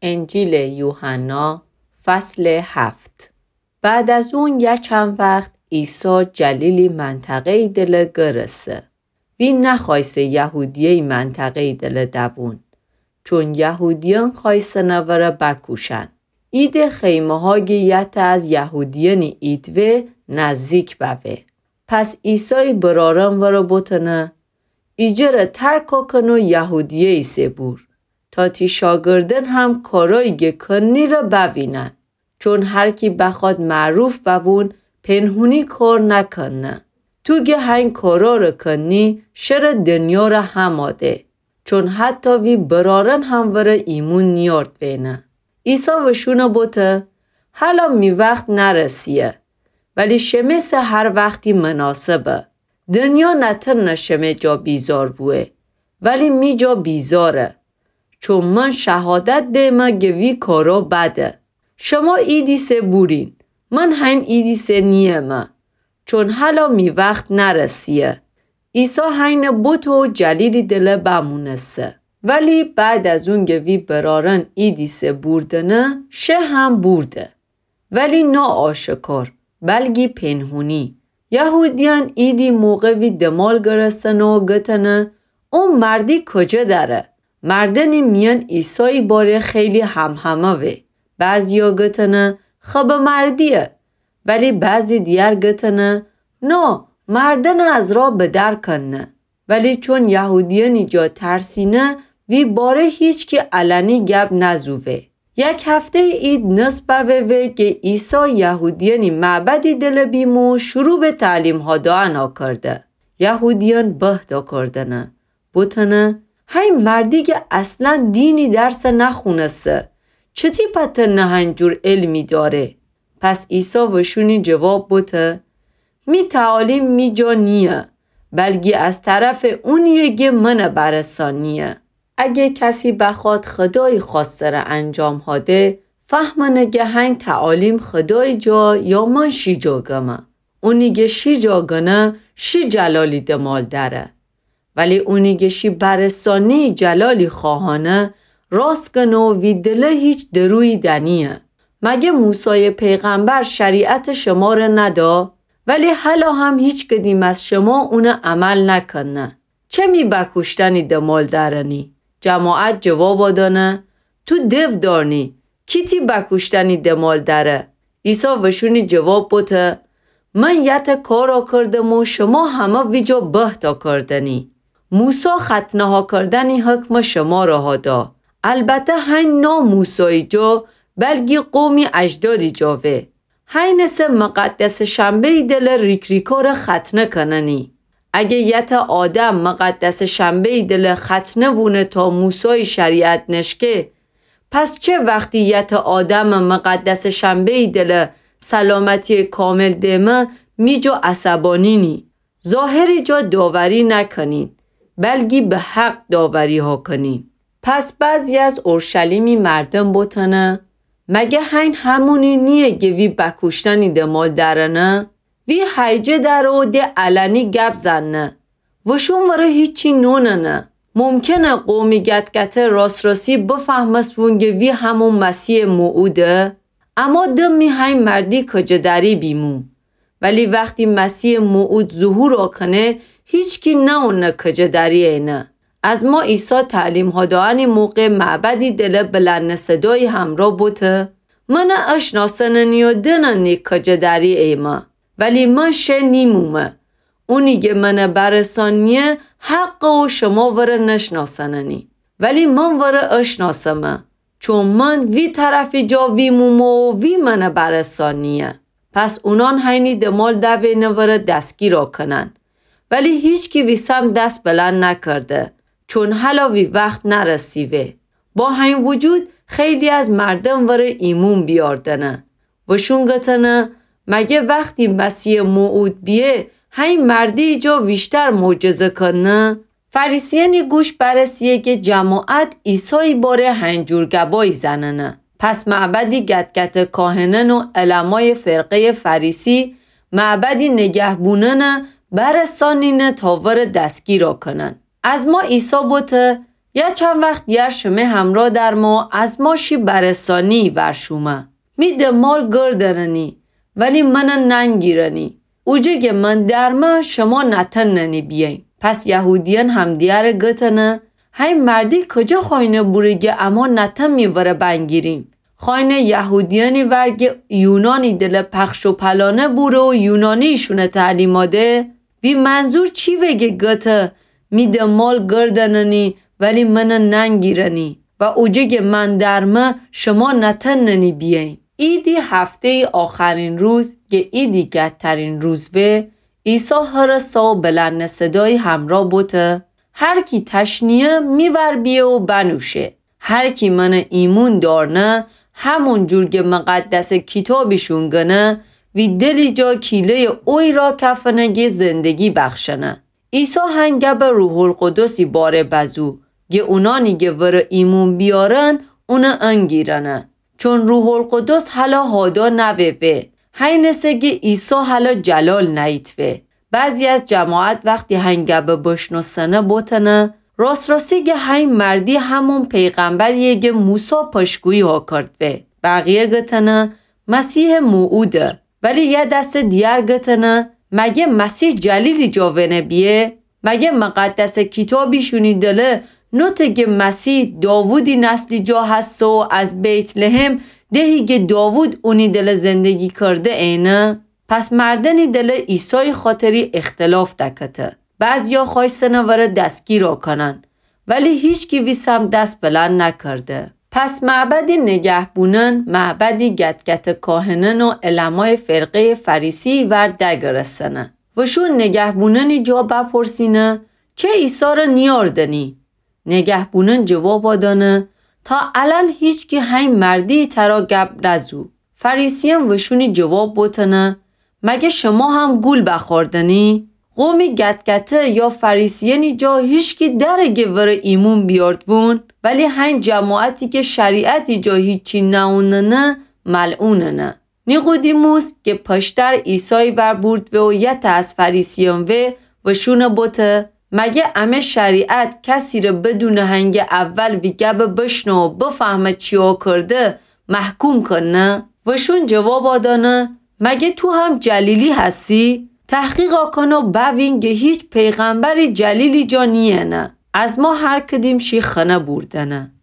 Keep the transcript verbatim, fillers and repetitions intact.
انجیلٚ یوحنا، فصلٚ هفت. بعد از اون یه چند وخت عیسی جلیلی منطقه‌یی دله گرسه. وی نخوأیسه یهودیه‌یی منطقه‌یی دله دوون، چون یهودیأن خوأیسنه وره بکوشن. عیدٚ خیمه‌ها گه یته از یهودیأنی عید وه نزدیک بوه. پس عیسای برأرأن وره بوتنه: ایجره ترک کن و یهودیه‌یی سه بور، تا تی شاگردأن هم کارایی گه کنی ره بوینن. چون هر کی بخوأد معروف بوون، پنهونی کار نکنه. تو گه هین کارا ره کنی، شرٚ دنیا ره همأ ده. چون حتی وی برأرأن هم وره ایمون نیأرد وینه. عیسی وشونه بوته: هلا می وخت نرسیه، ولی شمه سه هر وختی مناسبه. دنیا نتنه شمه جا بیزار بوه، ولی می جا بیزاره. چون من شهادت دیمه گه وی کارا بده. شما عیدی سه بورین، من هین عیدی سه نییمه، چون هلا می وخت نرسیه. عیسی هینه بوته و جلیلی دله بمونسه. ولی بعد از اون گه وی برأرأن عیدی سه بوردنه، شه هم بورده. ولی ناآشکار، بلگی پنهونی. یهودیأن عیدی موقع وی دمال گرستنه و گتنه: او مردی کجه دأره؟ مردأنی میأن عیسایی باره خیلی همهمه وه. بعضیا گتنه: خبٚ مردییه. ولی بعضی دیگر گتنه: نا، مردأنه از راه بدر کنه. ولی چون یهودیأنی جا ترسینه، وی باره هیچکی علنی گب نزووه. یک هفته‌یٚ عید نصف بوه وه گه عیسی یهودیأنی معبدی دله بیمو شروع به تعلیمها دأن کرده. یهودیأن بهت کردنه، بوتنه: هی مردی گه اصلا دینی درس نخونسه، چتی پتنه هین جور علمی دأره؟ پس عیسی وشونی جواب بوته: می تعالیم می جا نییه، بلگی از طرف اونییه گه منه برسانییه. اگه کسی بخوأد خودایی خوأسته ره انجام هده، فهمنه گه هین تعالیم خودایی جا یا من شی جا گمه. اونی گه شی جا گنه، شی جلالی دمال دأره. ولی اونی گه شی برسانیی جلالی خواهانه، راست گنه و وی دله هیچ درویی دنییه. مگه موسایٚ پیغمبر شریعت شمره ندا؟ ولی هلا هم هیچ کدیم از شما اونه عمل نکنه. چه می بکوشتنی دمال دأرنی؟ جماعت جوابا دأنه: تو دو دارنی، کی تی بکوشتنی دمال دأره؟ عیسی وشونی جواب بوته: من یته کارا کردم و شما همه ویجا بهتا کردنی. موسی ختنه‌ها کردنی حکم شمره ها دا. البته هین نا موسایی جا، بلگی قومی اجدادی جا وه. هینه سه مقدسٚ شنبه‌یی دله ریک‌ریکاره ختنه کننی. اگه یته آدم مقدسٚ شنبه‌یی دله ختنه وونه تا موسایی شریعت نشکه، پس چه وختی یته آدمٚ مقدسٚ شنبه‌یی دله سلامتییٚ کامل دیمه می جا عصبانی نی؟ ظاهری جا داوری نکنین، بلگی به حق داوریها کنین. پس بعضی از اورشلیمی مردم بوتنه: مگه هین همونی نییه گه وی بکوشتنی دمال دأرنه؟ وی هیجه دأره و ده علنی گب زنه. وشون وره هیچی نوننه. ممکنه قومی گت‌گته راست‌راستی بفهمستون گه وی همون مسیحٚ موعوده. اما دمی هین مردی کجه‌دری بیمو. ولی وختی مسیحٚ موعود ظهورا کنه، هیچکی نأونه کجه‌دری اینه. از ما عیسی تعلیمها دأنی موقع معبدی دله بلند صدایی همرا بوته: منه اشناسننی و دننی کجه‌دری ایمه، ولی من شه نیمومه. اونی گه منه برسانییه حقه و شما وره نشناسننی، ولی من وره اشناسمه. چون من وی طرفی جا ویمومه و وی منه برسانییه. پس اونان هینی دمال دوینه وره دستگیرا کنن. ولی هیچکی وی سمت دس بلند نکرده، چون هلا وی وخت نرسیوه. با هین وجود خیلی از مردم وره ایمون بیاردنه. وشون گتنه: مگه وختی مسیحٚ موعود بیه، هین مردی جا ویشتر معجزه کنه؟ فریسیأنی گوش برسیه گه جماعت عیسایی باره هین جور گبایی زننه. پس معبدی گت‌گته کاهنأن و علمایٚ فرقه‌یٚ فریسی معبدی نگهبونأنه برسانینه تا وره دستگیرا کنن. از ما عیسی بوته: یا چند وخت دیار شمه همرا درمه و از ما شی برسانیی ور شومه. می دمبال گردننی، ولی منَ ننگیرنی. اوجه گه من درمه، شما نتأننی بیین. پس یهودیأن همدیگرَ گتنه، هی مردی کجه خوأینه بوره گه اما نتأنمی ورَ بنگیریم؟ خوأینه یهودیأنی ور گه یونانی دلٚ پخش و پلانه بوره و یونانی‌شونَ تعلیما ده؟ وی منظور چی وه گه گته، می دمبال گردننی، ولی منَ ننگیرنی؟ و اوجه گه من درمه، شما نتأننی بیین. عیدی هفته‌یی آخرین روز، گه عیدی گدترین روز وه، عیسی هرسا و بلندٚ صدایی همرا بوته، هر کی تشنه‌یه، می ور بیه و بنوشه. هر کی منَ ایمون دأرنه، همون جور گه مقدسٚ کیتابیشون گنه، وی دلی جا کیله‌یٚ اویی را کفنه گه زندگی بخشنه. عیسی هنگب روح‌القدسی باره بزو، گه اونانی گه ورَ ایمون بیارن، اونَ انگیرنه. چون روح‌القدس هلا هادا نوه وه، هینسه گه عیسی هلا جلال نیید وه. بعضی از جماعت وختی هنگب بشنوستنه بوتنه، راست‌راستی گه هی مردی همون پیغمبرییه گه موسی پشتگویی ها کرد وه. بقیه گتنه، مسیحٚ موعوده. ولی یه دستٚ دیگر گتنه، مگه مسیح جلیلی جا ونه بیه؟ مگه مقدسٚ کیتابیشونی دله نوته گه مسیح داوودی نسلی جا هسه و از بیت‌لحم، دهی گه داوود اونی دله زندگی کرده اینه؟ پس مردنی دله عیسایی خاطری اختلاف دکته. بعضیا خوأیستنه ورَ دستگیرا کنن، ولی هیچکی وی سمت دست بلند نکرده. پس معبدی نگهبونأن معبدی گت‌گتٚ کاهنأن و علمایٚ فرقه‌یٚ فریسیی ور دگرستنه. وشون نگهبونأنی جا بپرسینه، چه عیسی ره نیاردنی؟ نگهبونأن جوابا دأنه، تا الأن هیچکی هی مردی ترا گب نزو. فریسیأن وشونی جواب بوتنه، مگه شما هم گول بخوردنی؟ قومی گت‌گته یا فریسیأنی جا هیچکی دره گه ورَ ایمون بیاردوون، ولی هین جماعتی گه شریعتی جا هیچی نئوننه، ملعوننه. نیقودیموس گه پشتر عیسایی ور بوردوه و یته از فریسیأن وه، وشونَ بوته، مگه امه شریعت کسی ره بدونٚ هنگٚ اول وی گبَ بشنوه و بفهمه چیا کرده، محکوم کنه؟ وشون جوابا دأنه، مگه تو هم جلیلی هستی؟ تحقیقا کن و بوین گه هیچ پیغمبری جلیلی جا نیینه. از ما هر کدیم شی خنه بوردنه.